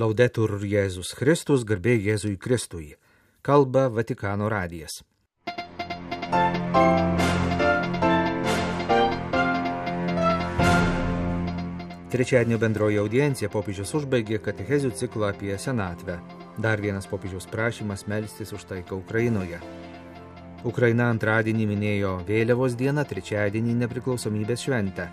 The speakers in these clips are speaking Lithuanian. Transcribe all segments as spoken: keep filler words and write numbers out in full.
Laudetur Jėzus Kristus, garbė Jėzui Kristui. Kalba Vatikano radijas. Trečiadienio bendroji audiencija popiežius užbaigė katechezių ciklą apie senatvę. Dar vienas popiežiaus prašymas melstis už taiką Ukrainoje. Ukraina antradienį minėjo vėliavos dieną, trečiadienį nepriklausomybės šventę.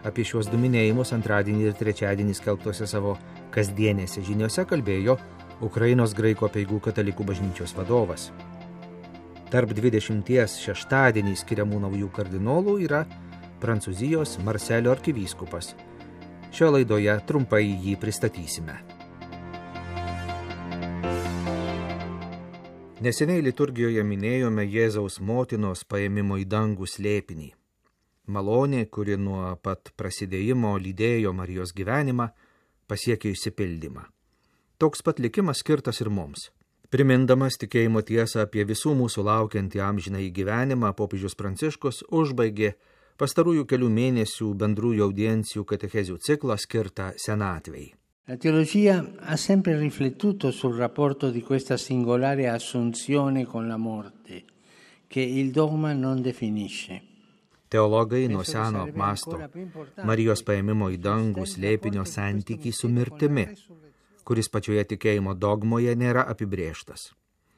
Apie šiuos du minėjimus antradienį ir trečiadienį skelbtose savo kasdienėse žiniose kalbėjo Ukrainos graikų apeigų katalikų bažnyčios vadovas. Tarp dvidešimties šeštadienį skiriamų naujų kardinolų yra Prancūzijos Marselio arkivyskupas. Šio laidoje trumpai jį pristatysime. Neseniai liturgijoje minėjome Jėzaus motinos paėmimo į dangų slėpinį. Malonė, kuri nuo pat prasidėjimo lydėjo Marijos gyvenimą, pasiekė išsipildymą. Toks pat likimas skirtas ir mums. Primindamas tikėjimo tiesą apie visų mūsų laukiantį amžinąjį gyvenimą, popiežius Pranciškus užbaigė pastarųjų kelių mėnesių bendrųjų audiencijų katechezių ciklą skirtą senatvei. La teologia ha sempre riflettuto sul rapporto di questa singolare assunzione con la morte, che il dogma non definisce. Teologai nuo seno apmąsto Marijos paėmimo į dangų slėpinio santykį su mirtimi, kuris pačioje tikėjimo dogmoje nėra apibrėžtas.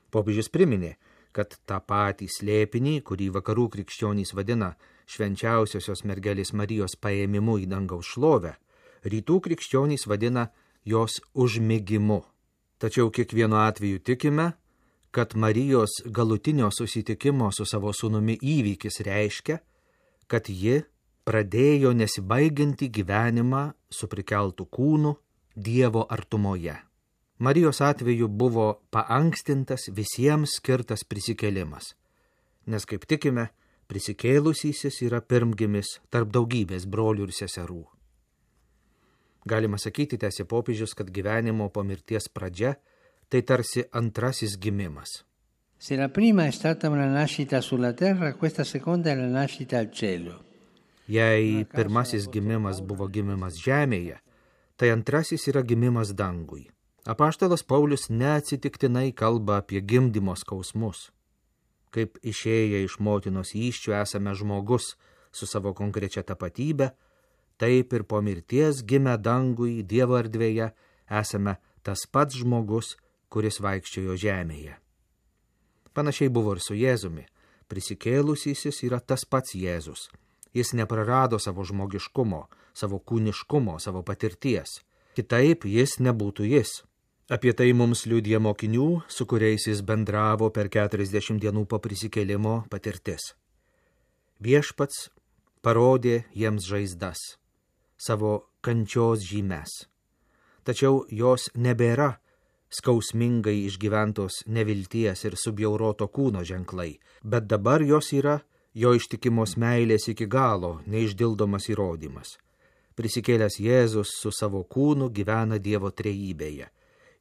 Popiežius priminė, kad tą patį slėpinį, kurį vakarų krikščionys vadina švenčiausiosios mergelės Marijos paėmimu į dangaus šlovę, rytų krikščionys vadina jos užmigimu. Tačiau kiekvienu atveju tikime, kad Marijos galutinio susitikimo su savo sūnumi įvykis reiškia, kad ji pradėjo nesibaigiantį gyvenimą su prikeltų kūnu Dievo artumoje. Marijos atveju buvo paankstintas visiems skirtas prisikėlimas, nes kaip tikime, prisikėlusysis yra pirmgimis tarp daugybės brolių ir seserų. Galima sakyti, tęsė popiežius, kad gyvenimo po mirties pradžia tai tarsi antrasis gimimas. Se la prima è stata una nascita sulla terra, questa seconda è la nascita al cielo. Jei pirmasis gimimas buvo gimimas žemėje, tai antrasis yra gimimas dangui. Apaštalas Paulius neatsitiktinai kalba apie gimdymo skausmus. Kaip išėję iš motinos įsčių esame žmogus su savo konkrečia tapatybe, taip ir po mirties gimę dangui Dievo erdvėje esame tas pats žmogus, kuris vaikščiojo žemėje. Panašiai buvo ir su Jėzumi. Prisikėlusysis yra tas pats Jėzus. Jis neprarado savo žmogiškumo, savo kūniškumo, savo patirties. Kitaip jis nebūtų jis. Apie tai mums liudija mokinių, su kuriais jis bendravo per keturiasdešimt dienų po prisikėlimo patirtis. Viešpats parodė jiems žaizdas, savo kančios žymes. Tačiau jos nebėra skausmingai išgyventos nevilties ir subjauroto kūno ženklai, bet dabar jos yra jo ištikimos meilės iki galo neišdildomas įrodymas. Prisikėlęs Jėzus su savo kūnu gyvena Dievo trejybėje.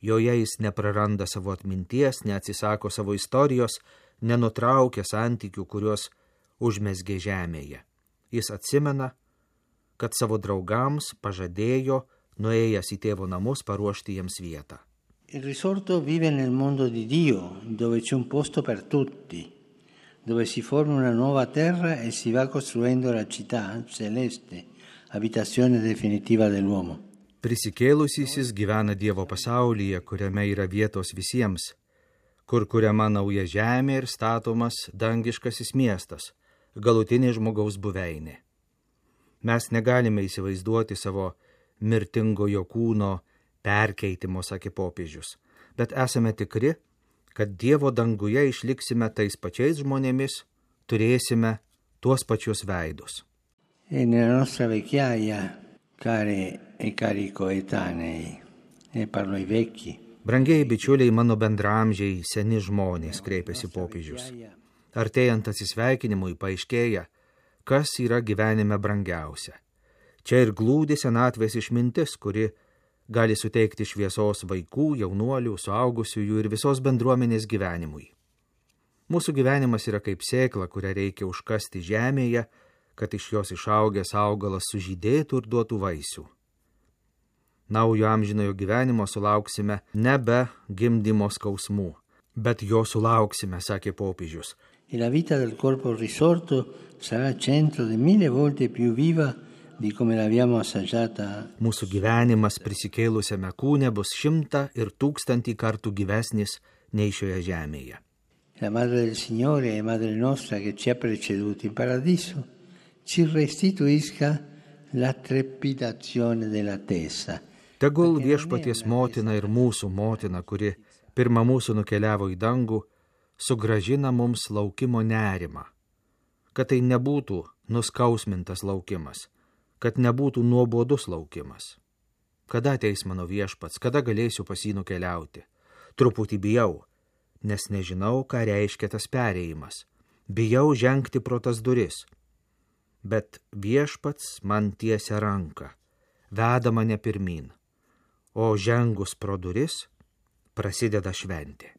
Joje jis nepraranda savo atminties, neatsisako savo istorijos, nenutraukia santykių, kuriuos užmezgė žemėje. Jis atsimena, kad savo draugams pažadėjo, nuėjęs į tėvo namus, paruošti jiems vietą. Il risorto vive nel mondo di Dio, dove c'è un posto per tutti, dove si forma una nuova terra e si va costruendo la città celeste, abitazione definitiva dell'uomo. Prisikėlusysis gyvena Dievo pasaulyje, kuriame yra vietos visiems, kur kuriama nauja žemė ir statomas dangiškasis miestas, galutinė žmogaus buveinė. Mes negalime įsivaizduoti savo mirtingojo kūno perkeitimo, sakė popiežius, bet esame tikri, kad Dievo danguje išliksime tais pačiais žmonėmis, turėsime tuos pačius veidus. E nella nostra vecchiaia, care e cari coetanei, e parlo ai vecchi. Brangieji bičiuliai, mano bendramžiai, seni žmonės, kreipėsi popiežius. Artėjant atsisveikinimui paaiškėja, kas yra gyvenime brangiausia. Čia ir glūdi senatvės išmintis, kuri gali suteikti šviesos vaikų, jaunuolių, suaugusiųjų ir visos bendruomenės gyvenimui. Mūsų gyvenimas yra kaip sėkla, kurią reikia užkasti žemėje, kad iš jos išaugęs augalas sužydėtų ir duotų vaisių. Naujo amžinojo gyvenimo sulauksime nebe gimdymo skausmų, bet jo sulauksime, sakė popiežius. E la vita del corpo risorto sarà centro di mille volte più viva di come l'abbiamo assaggiata. Mūsų gyvenimas prisikėlusiame kūne bus šimtą ir tūkstantį kartų gyvesnis nei šioje žemėje. La Madre del Signore e Madre nostra che ci ha preceduti in paradiso ci restituisca la trepidazione dell'attesa. Tegul viešpaties motina ir mūsų motina, kuri pirmą mūsų nukeliavo į dangų, sugražina mums laukimo nerimą, kad tai nebūtų nuskausmintas laukimas, kad nebūtų nuobodus laukimas. Kada ateis mano viešpats, kada galėsiu pas jį nukeliauti? Truputį bijau, nes nežinau, ką reiškia tas perėjimas. Bijau žengti pro tas duris. Bet viešpats man tiesia ranką, veda mane pirmin, o žengus pro duris prasideda šventė.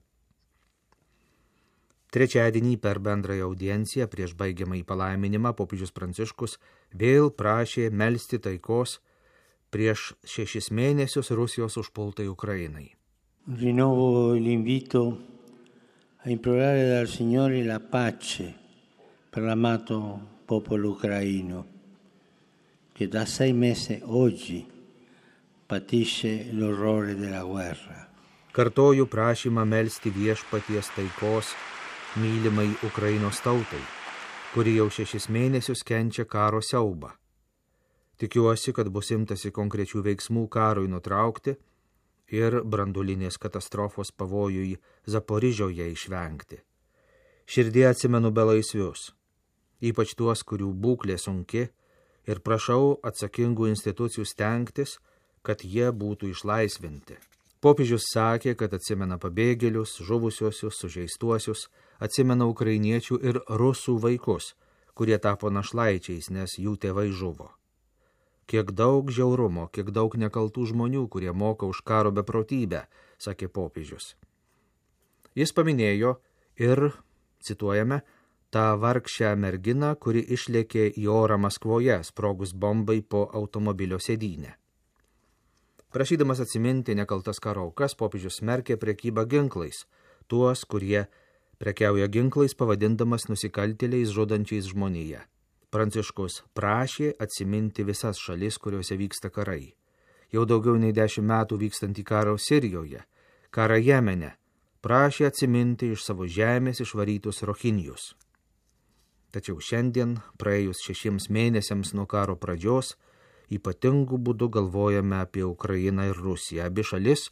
Trečiadienį per bendrąją audienciją prieš baigiamąjį palaiminimą popiežius Pranciškus vėl prašė melsti taikos prieš šešis mėnesius Rusijos užpultai Ukrainai. Rinnovo l'invito a implorare dal Signore la pace per l'amato popolo ucraino che da sei mesi oggi patisce l'orrore della guerra. Kartoju prašymą melsti viešpaties taikos mylimai Ukrainos tautai, kuri jau šešis mėnesius kenčia karo siaubą. Tikiuosi, kad bus imtasi konkrečių veiksmų karui nutraukti ir branduolinės katastrofos pavojui Zaporižioje išvengti. Širdie atsimenu belaisvius, ypač tuos, kurių būklė sunki, ir prašau atsakingų institucijų stengtis, kad jie būtų išlaisvinti. Popiežius sakė, kad atsimena pabėgėlius, žuvusiosius, sužeistuosius, atsimena ukrainiečių ir rusų vaikus, kurie tapo našlaičiais, nes jų tėvai žuvo. Kiek daug žiaurumo, kiek daug nekaltų žmonių, kurie moka už karo beprotybę, sakė popiežius. Jis paminėjo ir, cituojame, tą vargšę merginą, kuri išlėkė į orą Maskvoje, sprogus bombai po automobilio sėdynę. Prašydamas atsiminti nekaltas karo aukas, popiežius smerkė prekybą ginklais, tuos, kurie prekiauja ginklais, pavadindamas nusikaltėliais žudančiais žmoniją. Pranciškus prašė atsiminti visas šalis, kuriuose vyksta karai. Jau daugiau nei dešimt metų vykstantį karą Sirijoje, karą Jemene, prašė atsiminti iš savo žemės išvarytus rohinjus. Tačiau šiandien, praėjus šešiems mėnesiams nuo karo pradžios, ypatingų būdų galvojame apie Ukrainą ir Rusiją, abi šalis,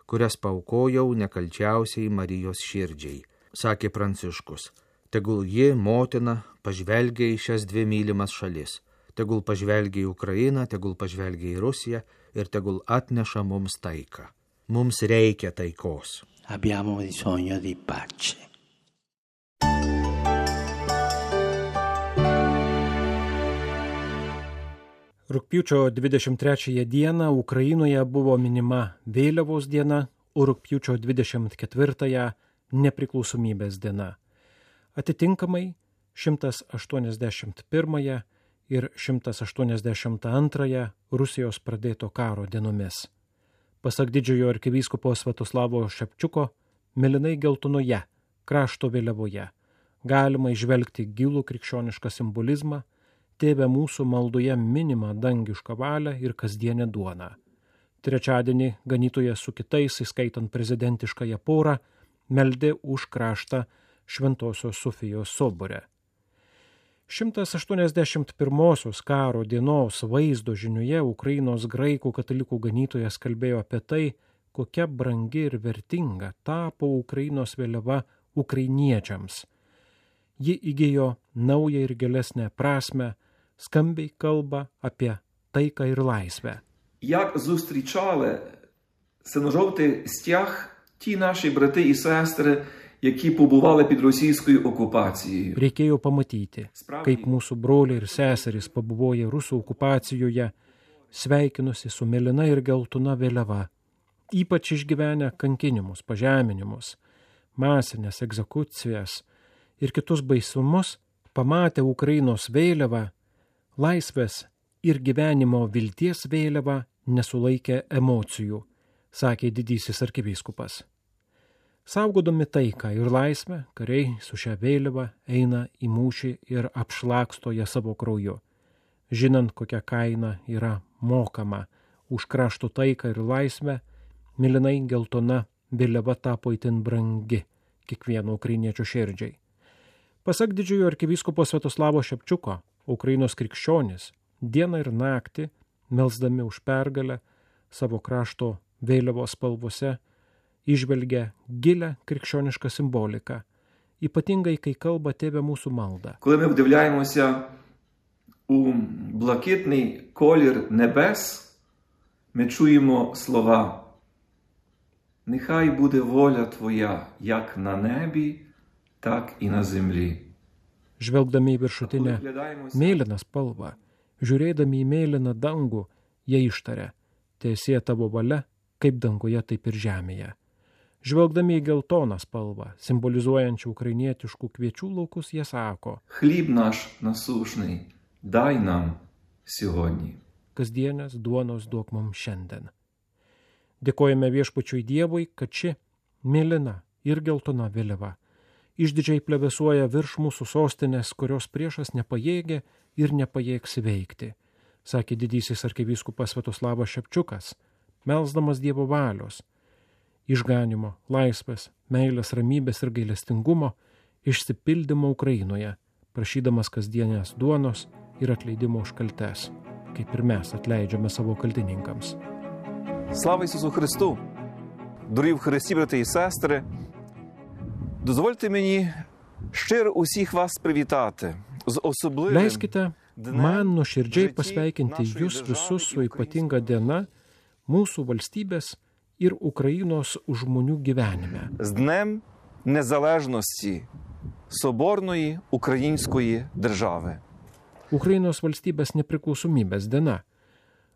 kurias paaukojau nekalčiausiai Marijos širdžiai, sakė Pranciškus. Tegul ji, motina, pažvelgia į šias dvi mylimas šalis, tegul pažvelgia į Ukrainą, tegul pažvelgia į Rusiją ir tegul atneša mums taiką. Mums reikia taikos. Abbiamo bisogno di pace. Rugpjūčio dvidešimt trečiąją dieną Ukrainoje buvo minima vėliavos diena, o rugpjūčio dvidešimt ketvirtąją nepriklausomybės diena. Atitinkamai šimtas aštuoniasdešimt pirmąją ir šimtas aštuoniasdešimt antrąją Rusijos pradėto karo dienomis. Pasak didžiojo arkivyskupo Svetoslavo Šepčiuko, mėlynai geltonoje krašto vėliavoje galima įžvelgti gilų krikščionišką simbolizmą, Tėve mūsų maldoje minimą dangišką valią ir kasdienę duoną. Trečiadienį ganytojas su kitais, įskaitant prezidentiškąją porą, meldė už kraštą Šventosios Sofijos sobore. šimtas aštuoniasdešimt pirmosios karo dienos vaizdo žinioje Ukrainos graikų katalikų ganytojas kalbėjo apie tai, kokia brangi ir vertinga tapo Ukrainos vėliava ukrainiečiams. Ji įgijo naują ir gilesnę prasmę, skambiai kalba apie taiką ir laisvę. Як зустрічали синьо-жовтий стяг ті наші брати і сестри, які побували під російською окупацією. Reikėjo pamatyti, kaip mūsų broliai ir seserys pabuvoję rusų okupacijoje, sveikinusi su mėlyna ir geltona vėliava, ypač išgyvenę kankinimus, pažeminimus, masinės egzekucijas ir kitus baisumus, pamatę Ukrainos vėliavą, laisvės ir gyvenimo vilties vėliavą, nesulaikė emocijų, sakė didysis arkivyskupas. Saugodami taiką ir laisvę, kariai su šia vėliava eina į mūšį ir apšlaksto ją savo krauju. Žinant, kokia kaina yra mokama už krašto taiką ir laisvę, mėlynai geltona vėliava tapo itin brangi kiekvieno ukrainiečio širdžiai. Pasak didžiojo arkivyskupo Sviatoslavo Šepčiuko, Ukrainos krikščionys dieną ir naktį, melsdami už pergalę savo krašto vėliavos spalvose, įžvelgia gilę krikščionišką simboliką, ypatingai kai kalba Tėve mūsų малда. Коли ми вдивляємося у блакитний колір небес, ми чуємо слова: «Нехай буде воля Твоя, як на небі, так і на землі». Žvelgdami į viršutinę mėlyną spalvą, žiūrėdami į mėlyną dangų, jie ištaria: Teesie Tavo valia, kaip danguje, taip ir žemėje. Žvelgdami į geltoną spalvą, simbolizuojančią ukrainietiškų kviečių laukus, jie sako: «Хліб наш насушний, дай нам сьогодні». Kasdienės duonos duok mums šiandien. Dėkojame Viešpačiui Dievui, kad ši mėlyna ir geltona vėliava išdidžiai plevesuoja virš mūsų sostinės, kurios priešas nepajėgė ir nepajėgs įveikti, sakė didysis arkivyskupas Sviatoslavas Šepčiukas, melsdamas Dievo valios, išganimo, laisvės, meilės, ramybės ir gailestingumo išsipildymo Ukrainoje, prašydamas kasdienės duonos ir atleidimo už kaltes, kaip ir mes atleidžiame savo kaltininkams. Слава Ісусу Христу! Дорогі в Христі, брати і сестри, дозвольте мені щиро усіх вас привітати з особливим Leiskite man nuoširdžiai pasveikinti jūs visus su ypatinga diena mūsų valstybės ir Ukrainos žmonių gyvenime. з Днем Незалежності Соборної Української держави. Ukrainos valstybės nepriklausomybės diena.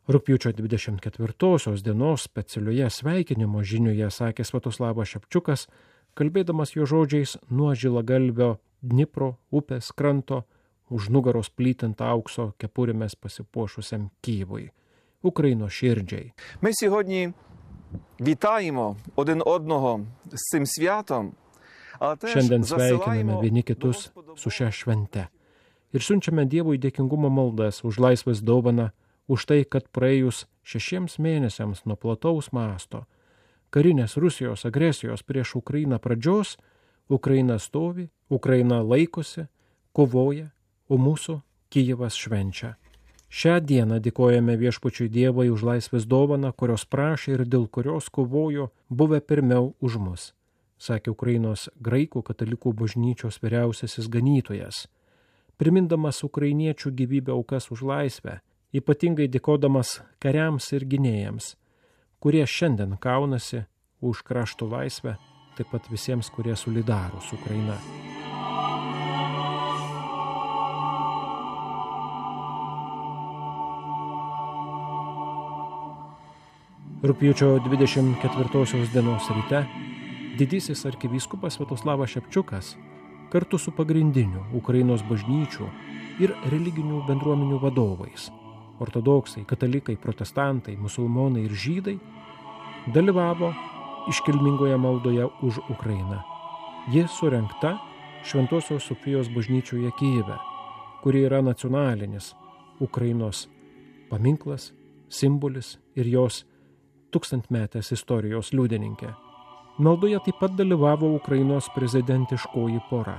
Rugpjūčio dvidešimt ketvirtosios dienos specialioje sveikinimo žinioje sakė Sviatoslavas Šepčiukas, kalbėdamas jo žodžiais nuo Žilagalvio Dnipro upės kranto už nugaros plytint aukso kepurėmis pasipuošusiam Kyjivui, Ukrainos širdžiai. Ми сьогодні вітаємо один одного з цим святом, але теж Šiandien засилаємо sveikiname vieni kitus su šia švente ir siunčiame Dievui dėkingumo maldas už laisvės dovaną, už tai, kad praėjus šešiems mėnesiams nuo plataus masto karinės Rusijos agresijos prieš Ukrainą pradžios, Ukraina stovi, Ukraina laikosi, kovoja, o mūsų Kyjivas švenčia. Šią dieną dėkojame Viešpačiui Dievui už laisvės dovaną, kurios prašė ir dėl kurios kovojo buvę pirmiau už mus, sakė Ukrainos graikų katalikų bažnyčios vyriausiasis ganytojas, primindamas ukrainiečių gyvybę aukas už laisvę, ypatingai dėkodamas kariams ir gynėjams, kurie šiandien kaunasi už krašto laisvę, taip pat visiems, kurie solidarūs su Ukraina. Rugpjūčio dvidešimt ketvirtosios dienos ryte didysis arkivyskupas Sviatoslavas Šepčiukas kartu su pagrindiniu Ukrainos bažnyčių ir religinių bendruomenių vadovais, ortodoksai, katalikai, protestantai, musulmonai ir žydai, dalyvavo iškilmingoje maldoje už Ukrainą. Ji surengta Šventosios Sofijos bažnyčioje Kyjive, kuri yra nacionalinis Ukrainos paminklas, simbolis ir jos tūkstantmetės istorijos liudininkė. Maldoje taip pat dalyvavo Ukrainos prezidentiškoji pora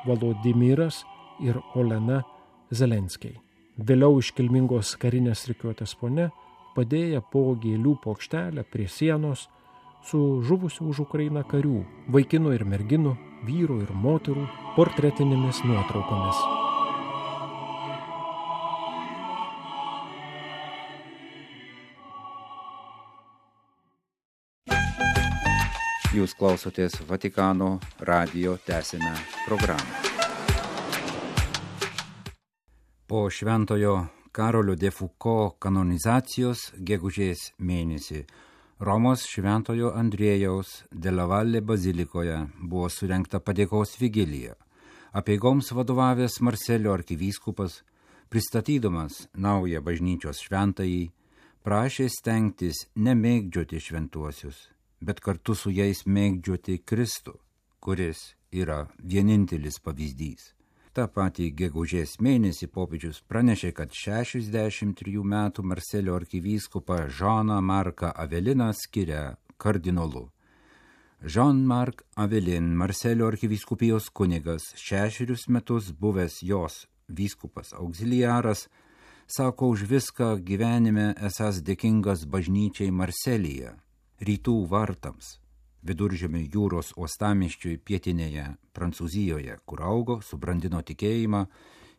Volodymyras ir Olena Zelenskiai. Vėliau iškilmingos karinės rikiuotės fone padėję po gėlių plokštelę prie sienos su žuvusių už Ukrainą karių, vaikinų ir merginų, vyrų ir moterų portretinėmis nuotraukomis. Jūs klausotės Vatikano radijo tęsinę programą. Po šventojo Karolio de Foucault kanonizacijos gegužės mėnesį Romos šventojo Andriejaus de la Valle bazilikoje buvo surengta padėkos vigilija. Apeigoms vadovavęs Marselio arkivyskupas, pristatydamas naują bažnyčios šventąjį, prašė stengtis nemėgdžioti šventuosius, bet kartu su jais mėgdžioti Kristų, kuris yra vienintelis pavyzdys. Ta patį gegužės mėnesį popiežius pranešė, kad šešiasdešimt trijų metų Marselio arkivyskupą Žaną Marką Aveliną skiria kardinolu. Jean-Marc Avelin, Marselio arkivyskupijos kunigas, šešerius metus buvęs jos vyskupas auxiliaras, sako už viską gyvenime esąs dėkingas bažnyčiai Marselyje, rytų vartams, Viduržemio jūros uostamiesčiui pietinėje Prancūzijoje, kur augo, subrandino tikėjimą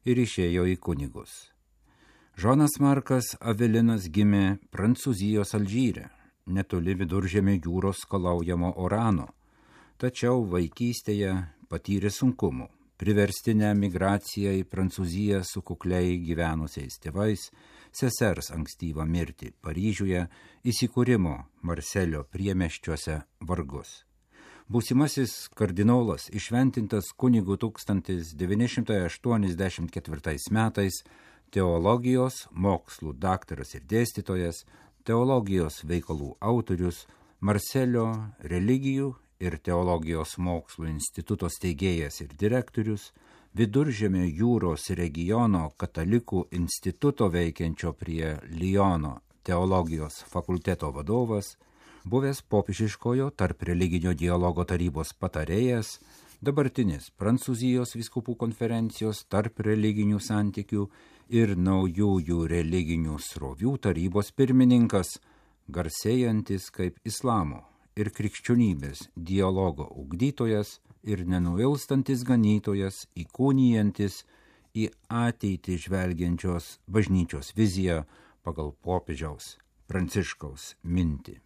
ir išėjo į kunigus. Žanas Markas Avelinas gimė Prancūzijos Alžyre, netoli Viduržemio jūros skalaujamo Orano, tačiau vaikystėje patyrė sunkumų, priverstinę migraciją į Prancūziją su kukliai gyvenusiais tėvais, sesers ankstyvą mirtį Paryžiuje, įsikūrimo Marselio priemiesčiuose vargus. Būsimasis kardinolas išventintas kunigu tūkstantis devyni šimtai aštuoniasdešimt ketvirtais metais, teologijos mokslų daktaras ir dėstytojas, teologijos veikalų autorius, Marselio religijų ir teologijos mokslų instituto steigėjas ir direktorius, Viduržemio jūros regiono katalikų instituto veikiančio prie Liono teologijos fakulteto vadovas, buvęs popiežiškojo tarp religinio dialogo tarybos patarėjas, dabartinis Prancūzijos vyskupų konferencijos tarp religinių santykių ir naujųjų religinių srovių tarybos pirmininkas, garsėjantis kaip islamo ir krikščionybės dialogo ugdytojas ir nenuilstantis ganytojas, įkūnijantis į ateitį žvelgiančios bažnyčios viziją pagal popiežiaus Pranciškaus mintį.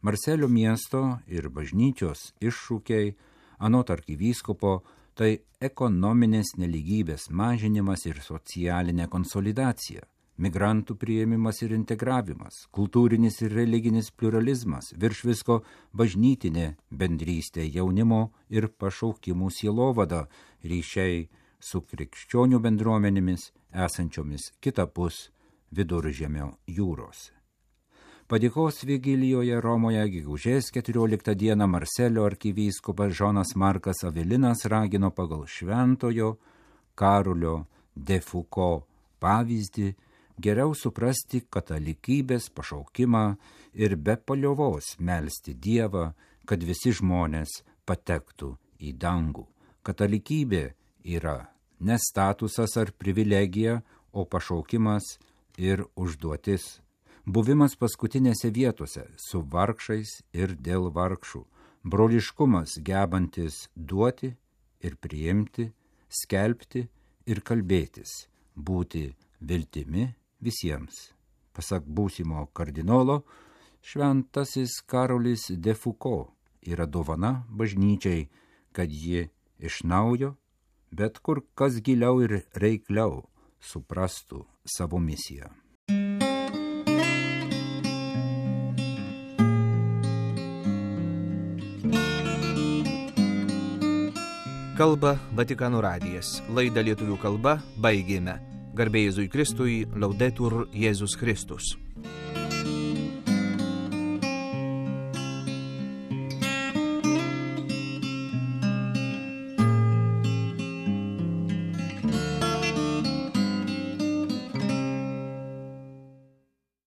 Marselio miesto ir bažnyčios iššūkiai, anot arkivyskupo, tai ekonominės nelygybės mažinimas ir socialinė konsolidacija, migrantų priėmimas ir integravimas, kultūrinis ir religinis pluralizmas, virš visko bažnytinė bendrystė, jaunimo ir pašaukimų sielovada, ryšiai su krikščionių bendruomenėmis esančiomis kitapus Viduržemio jūros. Padėkos vigilijoje Romoje gegužės keturioliktą dieną Marselio arkivyskupas Žanas Markas Avelinas ragino pagal šventojo Karolio de Foucault pavyzdį geriau suprasti katalikybės pašaukimą ir be paliovos melsti Dievą, kad visi žmonės patektų į dangų. Katalikybė yra ne statusas ar privilegija, o pašaukimas ir užduotis. Buvimas paskutinėse vietose su vargšais ir dėl vargšų. Broliškumas gebantis duoti ir priimti, skelbti ir kalbėtis, būti viltimi visiems. Pasak būsimo kardinolo, šventasis Karolis de Foucault yra dovana bažnyčiai, kad ji iš naujo, bet kur kas giliau ir reikliau suprastų savo misiją. Kalba Vatikano radijas. Laidą lietuvių kalba baigėme. Garbė Jėzui Kristui, Laudetur Jėzus Kristus.